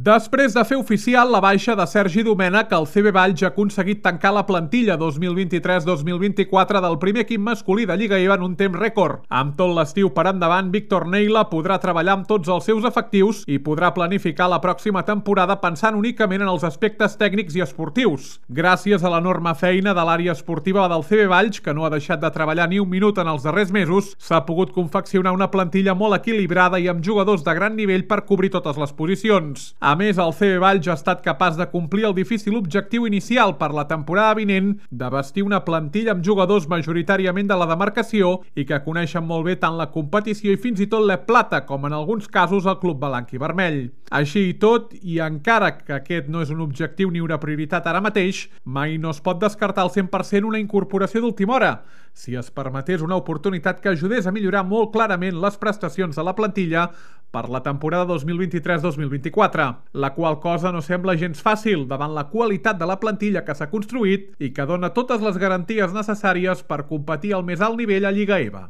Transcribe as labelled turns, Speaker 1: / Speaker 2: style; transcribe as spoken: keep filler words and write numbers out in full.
Speaker 1: Després de fer oficial la baixa de Sergi Domènech, el C B Valls ha aconseguit tancar la plantilla dos mil vint-i-tres dos mil vint-i-quatre del primer equip masculí de Lliga E V A en un temps rècord. Amb tot l'estiu per endavant, Víctor Neila podrà treballar amb tots els seus efectius i podrà planificar la pròxima temporada pensant únicament en els aspectes tècnics i esportius. Gràcies a l'enorme feina de l'àrea esportiva del C B Valls, que no ha deixat de treballar ni un minut en els darrers mesos, s'ha pogut confeccionar una plantilla molt equilibrada i amb jugadors de gran nivell per cobrir totes les posicions. A més, el C B Valls ha estat capaç de complir el difícil objectiu inicial per la temporada vinent de vestir una plantilla amb jugadors majoritàriament de la demarcació i que coneixen molt bé tant la competició i fins i tot la plata, com en alguns casos el club blanc i vermell. Així i tot, i encara que aquest no és un objectiu ni una prioritat ara mateix, mai no es pot descartar al cent per cent una incorporació d'última hora, si es permetés una oportunitat que ajudés a millorar molt clarament les prestacions de la plantilla per la temporada dos mil vint-i-tres dos mil vint-i-quatre, la qual cosa no sembla gens fàcil davant la qualitat de la plantilla que s'ha construït i que dona totes les garanties necessàries per competir al més alt nivell a Lliga E V A.